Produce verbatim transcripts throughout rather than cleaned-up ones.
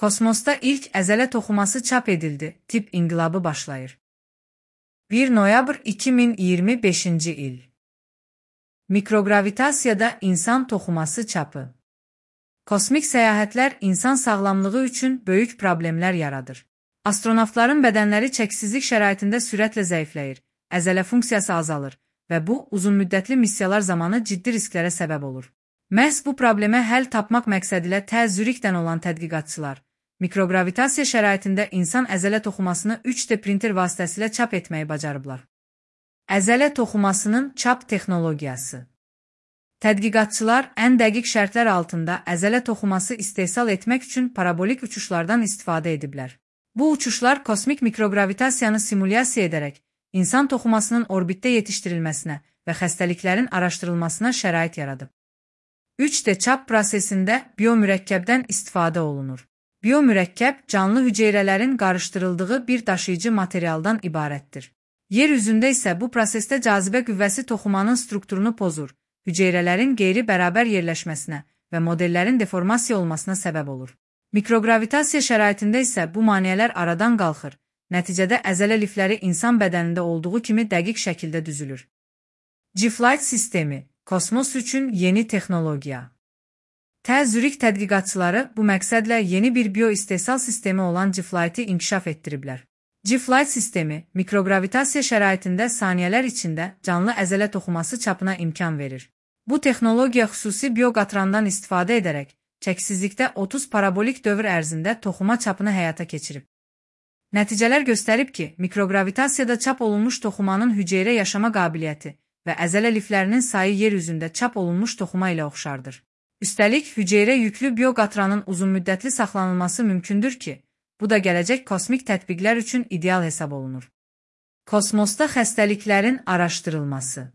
Kosmosda ilk əzələ toxuması çap edildi, tip inqilabı başlayır. bir noyabr iki min iyirmi beşinci il. Mikrogravitasiyada insan toxuması çapı. Kosmik səyahətlər insan sağlamlığı üçün böyük problemlər yaradır. Astronavtların bədənləri çəksizlik şəraitində sürətlə zəifləyir, əzələ funksiyası azalır və bu, uzunmüddətli missiyalar zamanı ciddi risklərə səbəb olur. Məhz bu problemə həll tapmaq məqsədilə tə Zürixdən olan tədqiqatçılar, mikrogravitasiya şəraitində insan əzələ toxumasını üç D printer vasitəsilə çap etməyi bacarıblar. Əzələ toxumasının çap texnologiyası. Tədqiqatçılar ən dəqiq şərtlər altında əzələ toxuması istehsal etmək üçün parabolik uçuşlardan istifadə ediblər. Bu uçuşlar kosmik mikrogravitasiyanı simulyasiya edərək, insan toxumasının orbitdə yetişdirilməsinə və xəstəliklərin araşdırılmasına şərait yaradıb. üç D çap prosesində biomürəkkəbdən istifadə olunur. Biomürəkkəb, canlı hüceyrələrin qarışdırıldığı bir daşıyıcı materialdan ibarətdir. Yer üzündə isə bu prosesdə cazibə qüvvəsi toxumanın strukturunu pozur, hüceyrələrin qeyri-bərabər yerləşməsinə və modellərin deformasiya olmasına səbəb olur. Mikrogravitasiya şəraitində isə bu maneələr aradan qalxır, nəticədə əzələ lifləri insan bədənində olduğu kimi dəqiq şəkildə düzülür. G-Flight sistemi, kosmos üçün yeni texnologiya. tə Zürix tədqiqatçıları bu məqsədlə yeni bir bioistehsal sistemi olan G-Flight'i inkişaf etdiriblər. G-Flight sistemi, mikrogravitasiya şəraitində saniyələr içində canlı əzələ toxuması çapına imkan verir. Bu texnologiya xüsusi bioqatrandan istifadə edərək, çəksizlikdə otuz parabolik dövr ərzində toxuma çapını həyata keçirib. Nəticələr göstərib ki, mikrogravitasiyada çap olunmuş toxumanın hüceyrə yaşama qabiliyyəti və əzələ liflərinin sayı yer üzündə çap olunmuş toxuma ilə oxşardır. Üstəlik, hüceyrə yüklü bioqatranın uzunmüddətli saxlanılması mümkündür ki, bu da gələcək kosmik tətbiqlər üçün ideal hesab olunur. Kosmosda xəstəliklərin araşdırılması.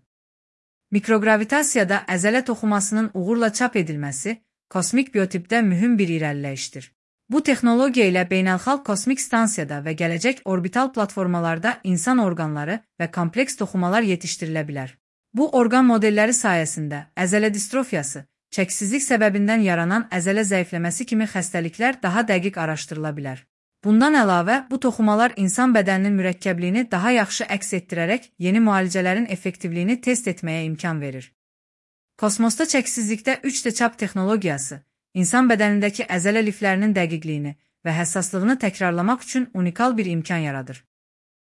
Mikrogravitasiyada əzələ toxumasının uğurla çap edilməsi kosmik biotipdə mühüm bir irəliləyişdir. Bu texnologiya ilə beynəlxalq kosmik stansiyada və gələcək orbital platformalarda insan orqanları və kompleks toxumalar yetişdirilə bilər. Bu orqan modelləri sayəsində əzələ distrofiyası, çəksizlik səbəbindən yaranan əzələ zəifləməsi kimi xəstəliklər daha dəqiq araşdırıla bilər. Bundan əlavə, bu toxumalar insan bədəninin mürəkkəbliyini daha yaxşı əks etdirərək yeni müalicələrin effektivliyini test etməyə imkan verir. Kosmosda çəksizlikdə üç D çap texnologiyası, insan bədənindəki əzələ liflərinin dəqiqliyini və həssaslığını təkrarlamaq üçün unikal bir imkan yaradır.